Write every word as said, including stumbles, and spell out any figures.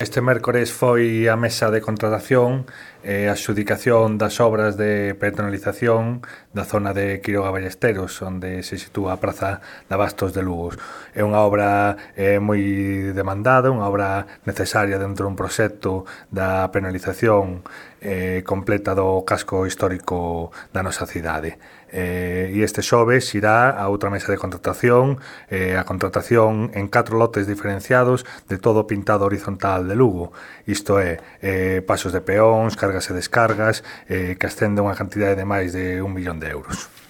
Este mércores foi a mesa de contratación e a adxudicación das obras de peatonalización da zona de Quiroga Ballesteros, onde se sitúa a Praza de Abastos de Lugo. É unha obra eh, moi demandada, unha obra necesaria dentro dun proxecto da penalización eh, completa do casco histórico da nosa cidade. Eh, e este xoves irá a outra mesa de contratación, eh, a contratación en catro lotes diferenciados de todo o pintado horizontal de Lugo. Isto é, eh, pasos de peóns, cargas e descargas, eh, que ascende a unha cantidade de máis de un millón de euros.